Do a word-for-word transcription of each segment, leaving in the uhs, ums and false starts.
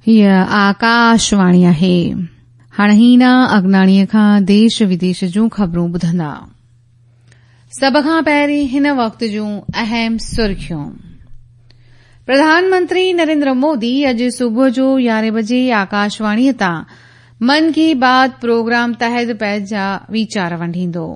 हीअ आकाशवाणी आहे। हाणे हीना अगनाणीअ खां देश विदेश जूं ख़बरूं ॿुधंदा। सभ खां पहिरीं हिन वक़्त जूं अहम सुर्खियूं। प्रधानमंत्री नरेंद्र मोदी अॼु सुबुह जो यारहें बजे आकाशवाणीअ तां मन की बात प्रोग्राम तहत पंहिंजा वीचार वंडींदो।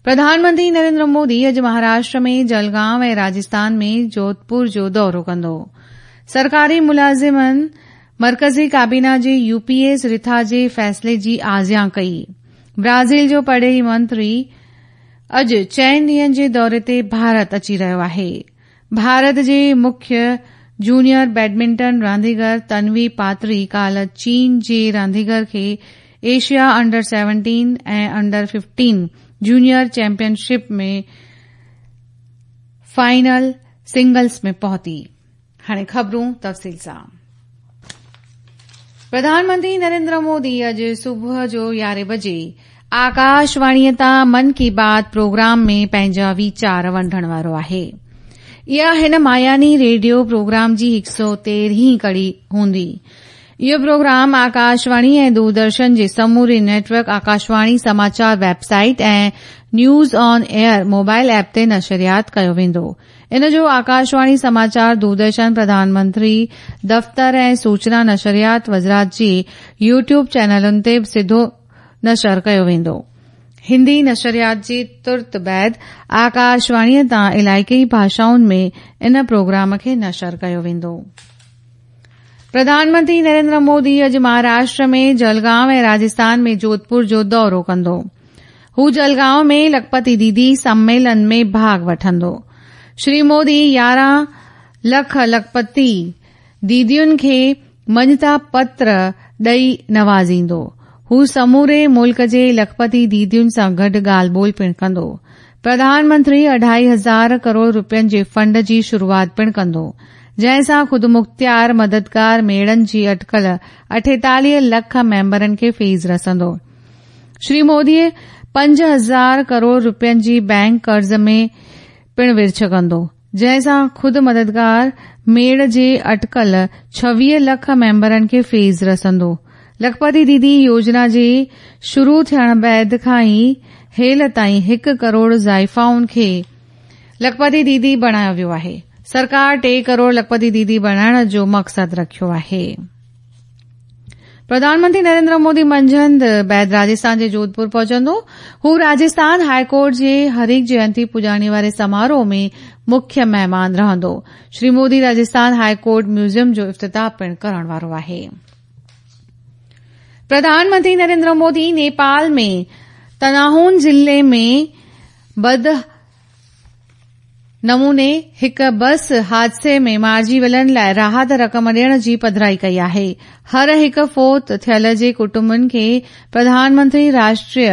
प्रधानमंत्री नरेंद्र मोदी अॼु महाराष्ट्र में जलगांव ऐं राजस्थान में जोधपुर जो दौरो कंदो। सरकारी मुलाज़िमनि मर्कज़ी काबीना जे यूपीएस रिथा जे फ़ैसिले जी आजियां कई। ब्राज़ील जो परॾेही मंत्री अॼु चइनि ॾींहंनि जे दौरे ते भारत अची रहियो आहे। भारत जे मुख्य जूनियर बैडमिंटन रांदीगर तन्वी पात्री काल्ह चीन जे रांदीगर खे एशिया अंडर सेवनटीन ऐं under fifteen junior championship ۾ final singles ۾ पहुती। हाणे ख़बरूं तफ़सील सां। प्रधानमंत्री नरेंद्र मोदी अॼु सुबुह जो यारहें बजे आकाशवाणीअ तां मन की बात प्रोग्राम में पंहिंजा वीचार वंडण वारो आहे। इहा हिन मायानी रेडियो प्रोग्राम जी हिकु सौ तेरहीं कड़ी हूंदी। इहो प्रोग्राम आकाशवाणी ऐं दूरदर्शन जे समूरे नेटवर्क, आकाशवाणी समाचार वेबसाइट ऐं news on air mobile app ते नशरियात कयो वेंदो। इन जो आकाशवाणी समाचार, दूरदर्शन, प्रधानमंत्री दफ़्तर ऐं सूचना नशरियात वज़ारत जे यूट्यूब चैनलुनि ते बि सिधो नशर कयो वेंदो। हिंदी नशरियात जे तुरत बाद आकाशवाणीअ तां इलाइक़ई भाषाउनि में इन प्रोग्राम खे नशर कयो वेंदो। प्रधानमंत्री नरेंद्र मोदी अॼु महाराष्ट्र में जलगांव ऐं राजस्थान में जोधपुर जो दौरो कंदो। हू जलगांव में लखपति दीदी सम्मेलन में भाग वठंदो। श्री मोदी यारहं लख लखपति दीदियुनि खे मञता पत्र ॾेई नवाज़ींदो। हू समूरे मुल्क जे लखपति दीदियुनि सां गॾु ॻाल्हि ॿोल पिणु कंदो। प्रधानमंत्री अढाई हज़ार करोड़ रुपयनि जे फंड जी शुरूआत पिणु कंदो, जंहिं सां ख़ुदमुख़्तियार मददगार मेड़नि जी अटकल अठेतालीह लख मेंबरनि खे फीस रसंदो। श्री मोदी पंज हज़ार करोड़ रुपयनि जी बैंक कर्ज़ में पिणु विर्छ कंदो, जंहिं सां ख़ुदि मददगार मेड़ जे अटकल छवीह लख मेंबरनि खे फीस रसंदो। लखपति दीदी योजना जे शुरू थियण बाद खां ई हेल ताईं हिकु करोड़ ज़ाइफ़ाउनि खे लखपति दीदी बणायो वियो आहे। सरकार टे करोड़ लखपति दीदी बणाइण जो मक़सदु रखियो आहे। प्रधानमंत्री नरेंद्र मोदी मंझंदि बाद राजस्थान जे जोधपुर पहुचंदो। हू राजस्थान हाईकोर्ट जे हरिक जयंती पुॼाणी वारे समारोह में मुख्य महिमान रहंदो। श्री मोदी राजस्थान हाईकोर्ट म्यूज़ियम जो इफ़्तिताह पिणु करण वारो आहे। प्रधानमंत्री नरेंद्र मोदी नेपाल में तनाहून ज़िले में बद नमूने हिकु बस हादसे में मारिजी वियलनि लाइ राहत रक़म ॾियण जी पधराई कई आहे। हर हिकु फोत थियल जे कुटुंबनि खे प्रधानमंत्री राष्ट्रीय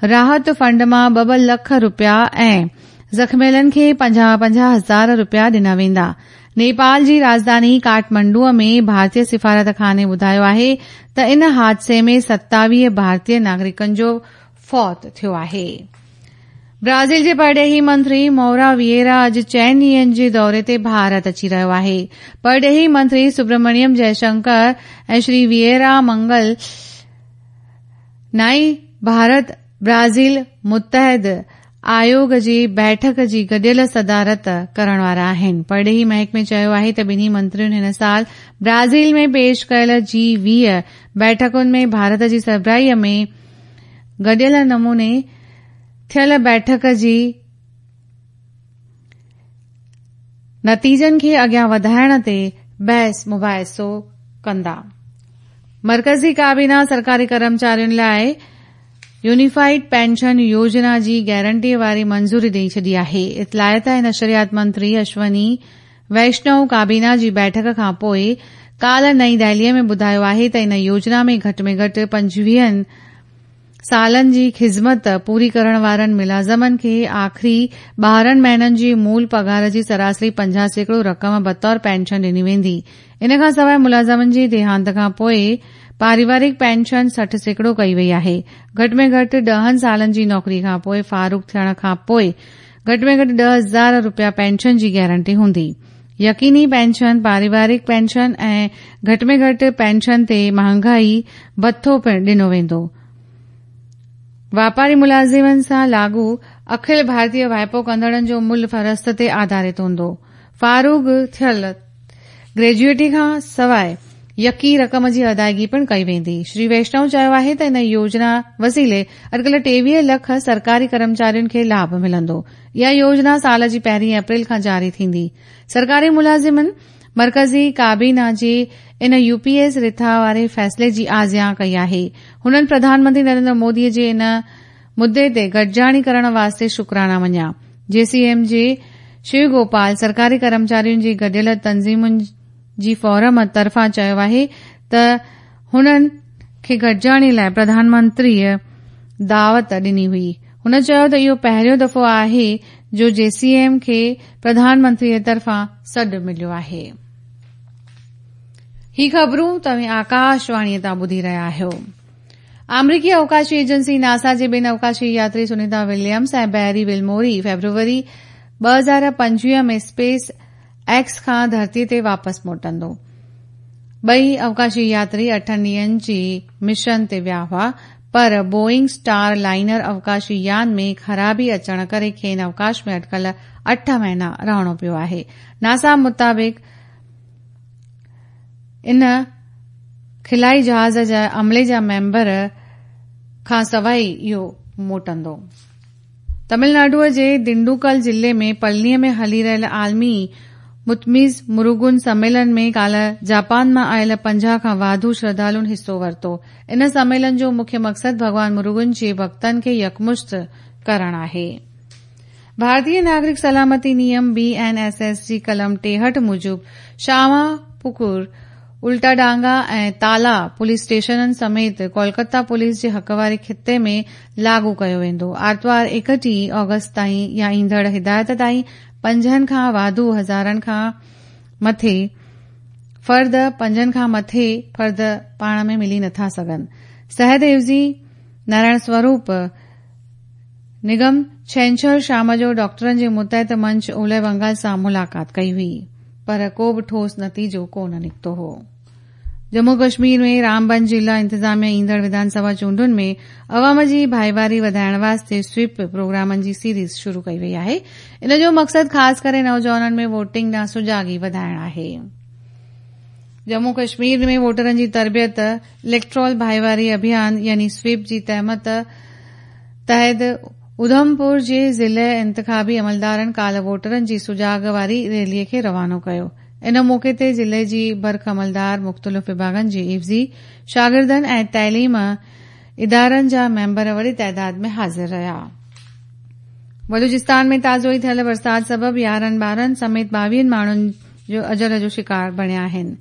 राहत फंड मां ॿ ॿ लख रुपया ऐं ज़ख़मियलनि खे पंजाह पंजाह हज़ार रुपया ॾिना वेंदा। नेपाल जी राजधानी काठमांडूअ में भारतीय सिफारत खाने ॿुधायो आहे त इन हादसे में सतावीह भारतीय नागरिकनि जो फौत थियो आहे। ब्राज़ील जे परॾेही मंत्री मौरा विएरा अॼु चइनि ॾींहंनि जे दौरे ते भारत अची रहियो आहे। परॾेही मंत्री सुब्रमण्यम जयशंकर ऐं श्री विएरा मंगल नाई भारत ब्राज़ील मुतहद आयोग जी बैठक जी गॾियल सदारत करण वारा आहिनि। परॾेही महकमे चयो आहे त ॿिन्ही मंत्रियुनि हिन साल ब्राज़ील में पेश कयल जी वीह बैठकुनि में भारत जी सरबराहीअ में गॾियल नमूने थियल बैठक जी नतीजनि खे अॻियां वधाइण ते बहस मुबाहिसो कंदा। मर्कज़ी काबीना सरकारी कर्मचारियुनि लाइ यूनिफाइड पेंशन योजना जी गारंटी वारी मंज़ूरी ॾेई छॾी आहे। इतलायत ऐं नशरियात मंत्री अश्वनी वैष्णव काबीना जी बैठक खां पोइ काल्ह नई दिल्लीअ में ॿुधायो आहे त इन योजना में घटि में घटि पंजवीहनि सालनि जी ख़िज़मत पूरी करण वारनि मुलाज़मनि खे आख़िरी ॿारहं महीननि जी मूल पघार जी सरासरी पंजाह सैकड़ो रक़म बतौर पेंशन ॾिनी वेंदी। इन खां सवाइ मुलाज़मनि जे देहांत खां पोइ पारिवारिक पेंशन सठि सैकड़ो कई वई आहे। घटि में घटि ॾहनि सालनि जी नौकिरी खां पोइ फ़ारुग़ थियण खां पोइ घटि में घटि ॾह हज़ार रुपया पेंशन जी गारंटी हूंदी। यकीनी पेंशन, पारिवारिक पेंशन ऐं घटि में घटि पेंशन ते महांगाई भथो पिणु ॾिनो वेंदो। वापारी मुलाज़िमनि सां लागू अखिल भारतीय वाइपो कंदड़नि जो मुल्ह फहरिस्त ते आधारित हूंदो। फारूग थियल ग्रेजुएटी खां सवाइ यकी रक़म जी अदायगी पिणु कई वेंदी। श्री वैष्णव चयो आहे त इन योजना वसीले अटकल टेवीह लख सरकारी कर्मचारियुनि खे लाभ मिलंदो। इहा योजना साल जी पहिरीं अप्रैल खां जारी थींदी। सरकारी मुलाज़िमनि मर्कज़ी काबीना जी इन यूपीएस रिथा वारे फ़ैसिले जी आज़ियां कई आहे। हुननि प्रधानमंत्री नरेंद्र मोदीअ जे इन मुद्दे ते गॾिजाणी करण वास्ते शुक्राना मञिया। जेसीएम जे शिव गोपाल सरकारी कर्मचारियुनि जी गॾियल तंज़ीमुनि जी फोरम तरफ़ां चयो आहे त हुननि खे गॾिजाणी लाइ प्रधानमंत्रीअ दावत ॾिनी हुई। हुन चयो त इहो पहिरियों दफ़ो आहे जो जेसीएम खे प्रधानमंत्रीअ तरफ़ां सॾु मिलियो आहे। ही ख़बरूं तव्हीं आकाशवाणीअ तां ॿुधी रहिया आहियो। आमेरिकी अवकाशी एजेंसी नासा जे ॿिनि अवकाशी यात्री सुनीता विलियम्स ऐं बैरी विलमोरी फेब्रुवरी ॿ हज़ार पंजवीह में स्पेस एक्स खां धरतीअ ते वापसि मोटंदो। ॿई अवकाशी यात्री अठनि ॾींहंनि जी मिशन ते विया हुआ, पर बोइंग स्टार लाइनर अवकाशी यान में ख़राबी अचण करे खेनि अवकाश में अटकल अठ महीना रहणो पियो आहे। नासा मुताबिक़ इन खिलाई जहाज़ जा अमले जा मेंबर खां सवाइ इहो मोटंदो। तमिलनाडुअ जे दिंडुकल ज़िले में पलनीअ में हली रहियल आलमी मुतमिज़ मुरुगुन सम्मेलन में काल्ह जापान मां आयल पंजाह खां वाधू श्रद्धालुनि हिसो वरितो। इन सम्मेलन जो मुख्य मक़सदु भॻवान मुरुगुन जे भक्तनि खे यकमुश्त करणु आहे। भारतीय नागरिक सलामती नियम बी एन एस एस जी कलम टेहठि मूजिबि श्यामापुकुर, उल्टाडांगा ऐं ताला पुलिस स्टेशननि समेत कोलकाता पुलिस जे हक़ वारे ख़िते में लागू कयो वेंदो। आरतवार एकटीह ऑगस्ट ताईं या ईंदड़ हिदायत ताईं पंजनि खां वाधू हज़ारनि खां मथे फर्द पंजनि खां मथे फर्द पाण में मिली नथा सघनि। सेहत एवज़ी नारायण स्वरूप निगम छेंछर शाम जो डॉक्टरनि जे मुतहत मंच ओलह बंगाल सां मुलाक़ात कई हुई, पर को बि ठोस नतीजो कोन निकितो हो। जम्मू कश्मीर में रामबन ज़िला इंतिज़ामिया ईंदड़ विधानसभा चूंडुनि में अवाम जी भाईवारी वधाइण वास्ते स्वीप प्रोग्रामनि जी सीरीज़ शुरू कई वई आहे। इन जो मक़सदु ख़ासि करे नौजवाननि में वोटिंग ॾांहुं सुजागी वधाइण आहे। जम्मू कश्मीर में वोटरनि जी तरबियत इलेक्ट्रॉल भाईवारी अभियान यानी स्वीप जी तहमत तहत उधमपुर जे ज़िले इंतिखाबी अमलदारनि काल्ह वोटरनि जी सुजाग वारी रैलीअ खे रवानो कयो। इन मौक़े ते ज़िले जी बर्ख अमलदार, मुख़्तलिफ़ विभागनि जी एवज़ी, शागिर्दनि ऐं तइलीम इदारनि जा मेंबर वॾी ताइदाद में हाज़िर रहिया। बलूचिस्तान में ताज़ो ई थियल बरसाति सबबि यारहं ॿारनि समेत ॿावीहनि माण्हुनि जो अजल जो शिकार बणिया आहिनि,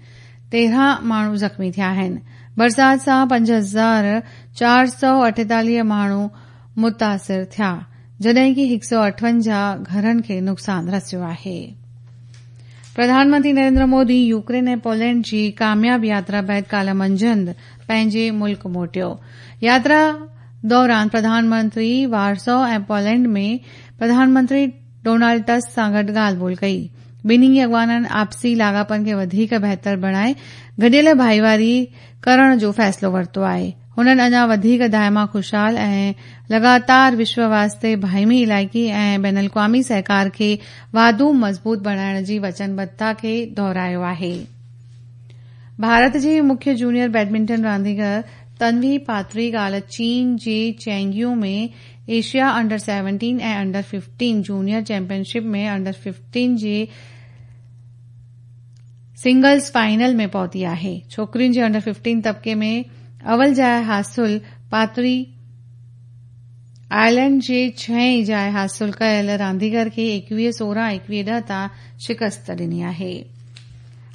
तेरहं माण्हू ज़ख़्मी थिया आहिनि। बरसाति सां पंज हज़ार चारि सौ अठेतालीह माण्हू मुतासिर थिया, जॾहिं की हिकु सौ अठवंजाह घरनि खे नुक़सानु रसियो आहे। प्रधानमंत्री नरेंद्र मोदी यूक्रेन ऐं पोलैंड जी कामयाब यात्रा बाद काल्ह मंझंदि पंहिंजे मुल्क मोटियो। यात्रा दौरान प्रधानमंत्री वारसो ऐं पोलैंड में प्रधानमंत्री डोनाल्ड टस्क सां गॾु ॻाल्हि ॿोल कई। ॿिन्ही अॻवाननि आपसी लाॻापनि खे वधीक बहितर बणाए गॾियल भाईवारी करण जो फ़ैसिलो वरितो आहे। हुननि अञा वधीक दायमा ख़ुशहाल ऐं लगातार विश्व वास्ते बाहिमी इलाइक़ी ऐं बैनुल अक़वामी सहकार खे वाधू मज़बूत बणाइण जी वचनबद्धता खे दोहरायो आहे। भारत जी मुख्य जूनियर बैडमिंटन रांदीगर तन्वी पात्री काल्ह चीन जे चेंग्यू में एशिया अंडर सेवनटीन ऐं अंडर फिफ्टीन जूनियर चैंपियनशिप में under fifteen J singles final में पहुती आहे। छोकिरियुनि जे अंडर फिफ्टीन तबक़े में अवल जाइ हासिल पात्री आयरलैंड जे छहें जाइ हासिल कयल रांदीगर खे एकवीह सोरहं एकवीह ॾह तां शिकस्त ॾिनी आहे।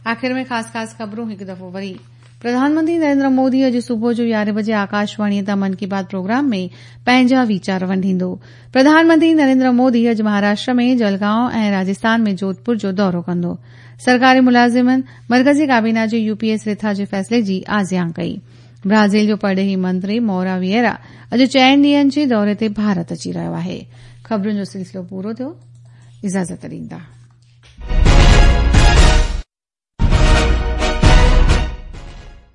आख़िर में ख़ासि ख़ासि ख़बरूं हिकु दफ़ो वरी। प्रधानमंत्री नरेंद्र मोदी अॼु सुबुह जो यारहें बजे आकाशवाणीअ तां मन की बात प्रोग्राम में पंहिंजा वीचार वंडींदो। प्रधानमंत्री नरेंद्र मोदी अॼु महाराष्ट्र में जलगांव ऐं राजस्थान में जोधपुर जो दौरो कंदो। सरकारी मुलाज़िमनि मर्कज़ी काबीना जे यूपीएस रिथा जे फ़ैसिले जी आज़ियां कई। ब्राज़ील जो परॾेही मंत्री मौरा विएरा अॼु चइनि ॾींहंनि जे दौरे ते भारत अची रहियो आहे। ख़बरुनि जो सिलसिलो पूरो थियो। इजाज़त ॾींदा।